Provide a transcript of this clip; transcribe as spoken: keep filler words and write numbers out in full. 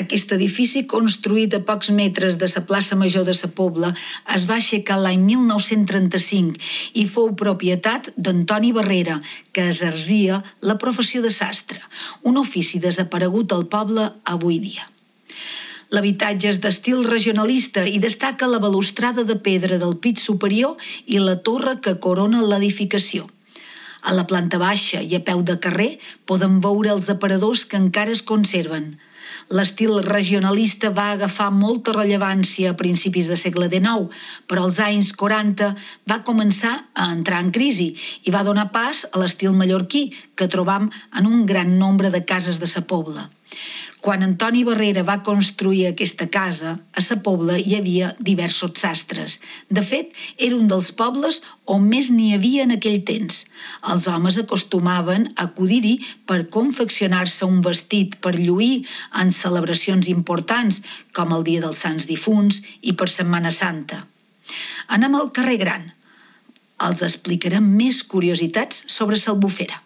Aquest edifici, construït a pocs metres de la plaça Major de la Pobla, es va aixecar l'any mil nou-cents trenta-cinc i fou propietat d'Antoni Barrera, que exercia la professió de sastre, un ofici desaparegut al poble avui dia. L'habitatge és d'estil regionalista i destaca la balustrada de pedra del pis superior i la torre que corona l'edificació. A la planta baixa i a peu de carrer podem veure els aparadors que encara es conserven. L'estil regionalista va agafar molta rellevància a principis del segle dinou, però als anys quaranta va començar a entrar en crisi i va donar pas a l'estil mallorquí, que trobam en un gran nombre de cases de la Pobla. Quan Antoni Barrera va construir aquesta casa, a la Pobla hi havia diversos sastres. De fet, era un dels pobles on més n'hi havia en aquell temps. Els homes acostumaven a acudir-hi per confeccionar-se un vestit per lluir en celebracions importants, com el Dia dels Sants Difunts i per Setmana Santa. Anem al carrer Gran. Els explicarem més curiositats sobre l'Albufera.